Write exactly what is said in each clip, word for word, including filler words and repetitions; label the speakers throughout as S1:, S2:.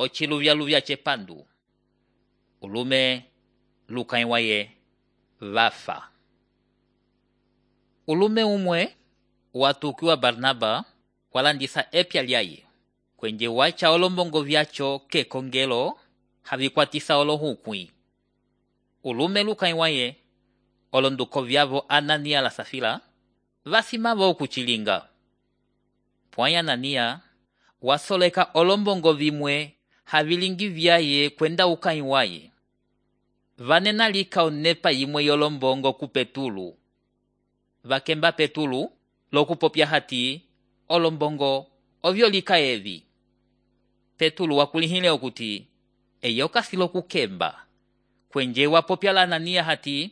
S1: ociluvyaluvya cepandu. Ulume lukãyi waye vafa. Ulume umwe watukiwa Barnaba walandisa epya lyaye, kwenje wacha olombongo vyacho kekongelo havikwatisa olohukwi. Ulume lukãyi waye olonduko vyavo Anania la Safila vasimavo okuchilinga. Pwãyi Anania wasoleka olombongo vimwe havilingi vyaye kwenda ukãyi waye. Vanena lika onepa yimwe yolombongo ku Petulu. Vakemba Petulu lokupopya hati olombongo ovyo lika evi. Petulu wakulihile okuti eyo kasilo kukemba. Kwenje wapopya la Anania hati,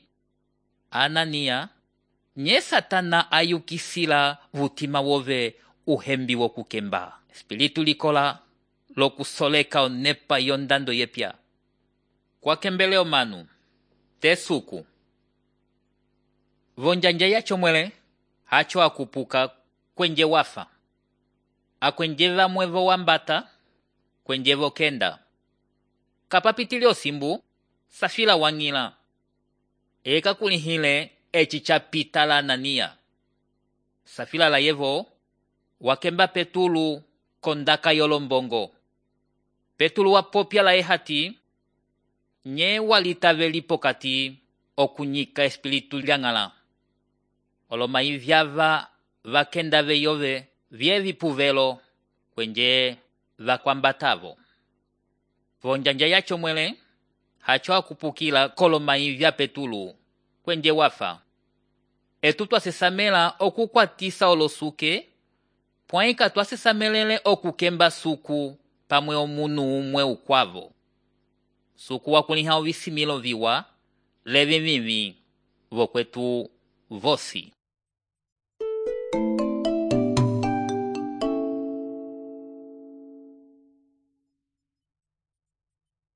S1: Anania, nye Satana ayukisila vutima wove uhembi wokukemba. Espiritu likola lokusoleka onepa yondando yepya. Kwa kembeleo manu, tesuku. Vonjanja yacho mwele, hacho akupuka kwenje wafa. Akwenje vamwevo wambata, kwenje vokenda. Kapapitili osimbu, Safila wangila. Eka kulihile echi chapita la Anania. Safila la yevo, wakemba Petulu kondaka yolombongo. Petulu wapopya la ehati, nye walitaveli pokati okunyika espiritu lyangala. Olomayi vyava vakenda veyove vyevi puvelo kwenje vakwambatavo. Vonjanja yacho mwele, hacho akupukila kolomayi vya Petulu kwenje wafa. Etu twasesamela okukwatisa olosuke, pwaika twasesamelele okukemba suku pamwe omunu umwe ukwavo. Suku wakuliha ovisimilo viwa, levi vivi, vokwetu vosi.